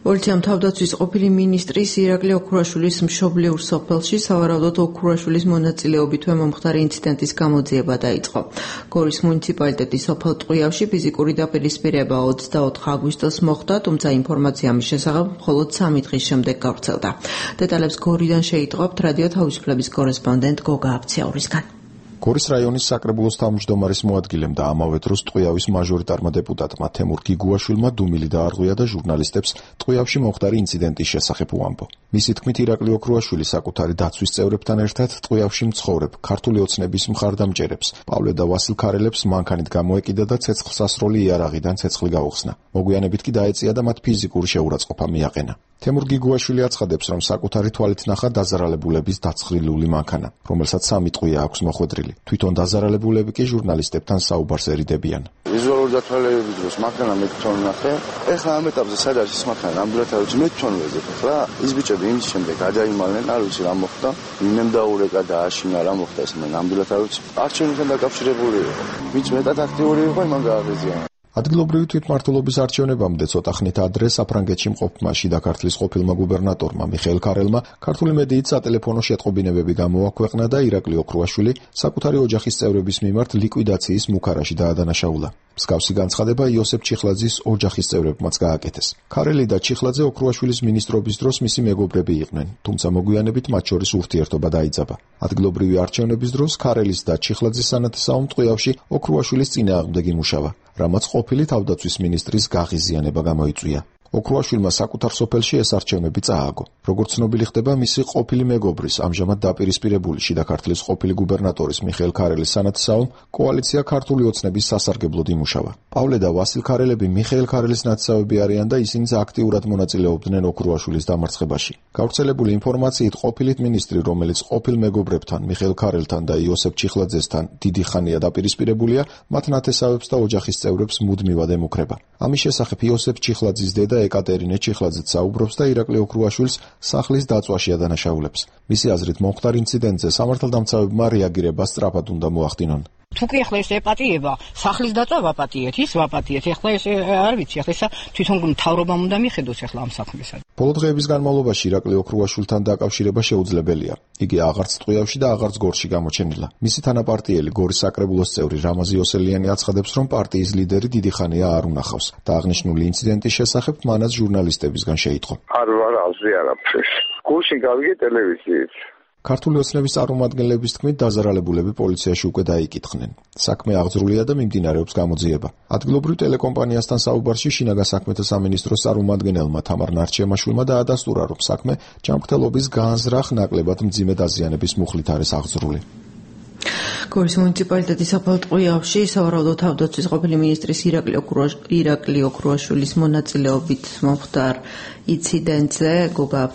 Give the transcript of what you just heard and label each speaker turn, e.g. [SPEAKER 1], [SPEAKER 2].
[SPEAKER 1] პოლიციამ თავდაცვის ყოფილი მინისტრის ირაკლი ოქრუაშვილის მშობლიურ სოფელში სავარაუდოდ ოქრუაშვილის მონაწილეობით მომხდარი ინციდენტის გამოძიება დაიწყო. გორის მუნიციპალიტეტის სოფელ ტყვიავში ფიზიკური დაპირისპირება 24 აგვისტოს მოხდა, თუმცა ინფორმაცია ამის შესახებ მხოლოდ 3 დღის შემდეგ გავრცელდა. დეტალებს გორიდან შეიტყობთ რადიო თავისუფლების კორესპონდენტ გოგა აფციაურისგან.
[SPEAKER 2] გორის რაიონის საკრებულოს თავმჯდომარის მოადგილემ და ამავე დროს ტყვიავის მაჟორიტარმა დეპუტატმა თემურ გიგუაშვილმა დუმილი დაარღვია და ჟურნალისტებს ტყვიავში მომხდარი ინციდენტის შესახებ უამბო. მისი თქმით, ირაკლი ოქრუაშვილი საკუთარი დაცვის წევრებთან ერთად ტყვიავში მცხოვრებ ქართული ოცნების მხარდამჭერებს პავლე და ვასილ ქარელებს მანქანით გამოეკიდა და ცეცხლსასროლი იარაღიდან ცეცხლი გაუხსნა. მოგვიანებით კი დაეწია და მათ ფიზიკური შეურაცხყოფა მიაყენა. თემურ გიგუაშვილი აცხადებს, რომ საკუთარი თვალით ნახა დაზარალებულების დაცხრილული მანქანა, რომელსაც 3 ტყვია აქვს მოხვედრილი. თვითონ დაზარალებულები კი ჟურნალისტებთან საუბარს ერიდებიან.
[SPEAKER 3] ვიზუალური დათვალიერების დროს მანქანა მე თვითონ ნახე. ეხლა ამ ეტაპზე სად არის ეს მანქანა? ნამდვილად არ ვიცი, მე თვითონ ვეზებ ხა. ის ბიჭები იმის შემდეგ გადაიმალნენ, არ ვიცი რა მოხდა. ვინმე დაურეკა და აშინა რა მოხდა ეს მე ნამდვილად არ ვიცი. არჩევნებთან დაკავშირებული იყო. ვინც მეტად აქტიური იყო, იმან გააღიზიანა.
[SPEAKER 2] ადგილობრივი თვითმმართველობის არჩევნებამდე ცოტა ხნით ადრე საფრანგეთში მყოფმა შიდა ქართლის ყოფილმა გუბერნატორმა მიხეილ ქარელმა ქართული მედიით სატელეფონო შეტყობინებები გამოაქვეყნა და ირაკლი ოქრუაშვილი საკუთარი ოჯახის წევრების მიმართ ლიკვიდაციის მუქარაში დაადანაშაულა. მსგავსი განცხადება იოსებ ჩიხლაძის ოჯახის წევრებმაც გააკეთეს. ქარელი და ჩიხლაძე ოქრუაშვილის მინისტრობის დროს მისი მეგობრები იყვნენ, თუმცა მოგვიანებით მათ შორის ურთიერთობა დაიძაბა. ადგილობრივი არჩევნების დროს ქარელის და ჩიხლაძის სანათესაომ ტყვიავში ოქრუაშვილის წინააღმდეგ იმუშავა, რამაც ყოფილი თავდაცვის მინისტრის გაღიზიანება გამოიწვია. ოქრუაშვილმა საკუთარ სოფელში ეს არჩევნები წააგო. როგორც ცნობილი ხდება, მისი ყოფილი მეგობრის, ამჟამად დაპირისპირებული შიდა ქართლის ყოფილი გუბერნატორის მიხეილ ქარელის სანათესაომ კოალიცია ქართული ოცნების სასარგებლოდ იმუშავა. პავლე და ვასილ ქარელები მიხეილ ქარელის ნათესავები არიან და ისინიც აქტიურად მონაწილეობდნენ ოქრუაშვილის დამარცხებაში. გავრცელებული ინფორმაციით ყოფილი მინისტრი, რომელიც ყოფილ მეგობრებთან, მიხეილ ქარელთან და იოსებ ჩიხლაძესთან დიდი ხანია დაპირისპირებულია, მათ ნათესავებს და ოჯახის წევრებს მუდმივად ემუქრება. ამის შესახებ იოსებ ჩიხლაძის დედა ეკატერინე ჩიხლაძეც საუბრობს და ირაკლი ოქრუაშვილს სახლის დაწვაში ადანაშაულებს. მისი აზრით მომხდარ ინციდენტზე სამართალდამცავებმა რეაგირება სწრაფად უნდა მოახდინონ.
[SPEAKER 4] თუ კი ახლა ეს ეპატიება, სახლის დაწვა ვაპატიეთ, ის ვაპატიეთ. ახლა ეს არ ვიცი, ახლა ისა თვითონ მთავრობამ უნდა მიხედოს ახლა ამ საქმესა.
[SPEAKER 2] ბოლო დღეების განმავლობაში ირაკლი ოქრუაშვილთან დაკავშირება შეუძლებელია. იგი აღარც ტყვიავში და აღარც გორში გამოჩენილა. მისი თანაპარტიელი გორის საკრებულოს წევრი რამაზი ოსელიანი აცხადებს, რომ პარტიის ლიდერი დიდი ხანია არ უნახავს და აღნიშნული ინციდენტის შესახებ მანაც ჟურნალისტებისგან შეიტყო.
[SPEAKER 3] არ ვარ აზრი არაფრის. გულში გავიგე ტელევიზიით.
[SPEAKER 2] ქართული ოცნების წარმომადგენლების თქმით, დაზარალებულები პოლიციაში უკვე დაიკითხნენ. საქმე აღძრულია და მიმდინარეობს გამოძიება. ადგილობრივ ტელეკომპანიასთან საუბარში შინაგან საქმეთა სამინისტროს წარმომადგენელმა თამარ ნარჩიამაშვილმა დაადასტურა, რომ საქმე ჯანმრთელობის განზრახ ნაკლებად მძიმე დაზიანების მუხლით არის აღძრული.
[SPEAKER 1] გორის მუნიციპალიტეტის სოფელ ტყვიავში სავარაუდოდ თავდაცვის ყოფილი მინისტრის ირაკლი ოქრუაშვილის მონაწილეობით მომხდარ ინციდენტზე გოგა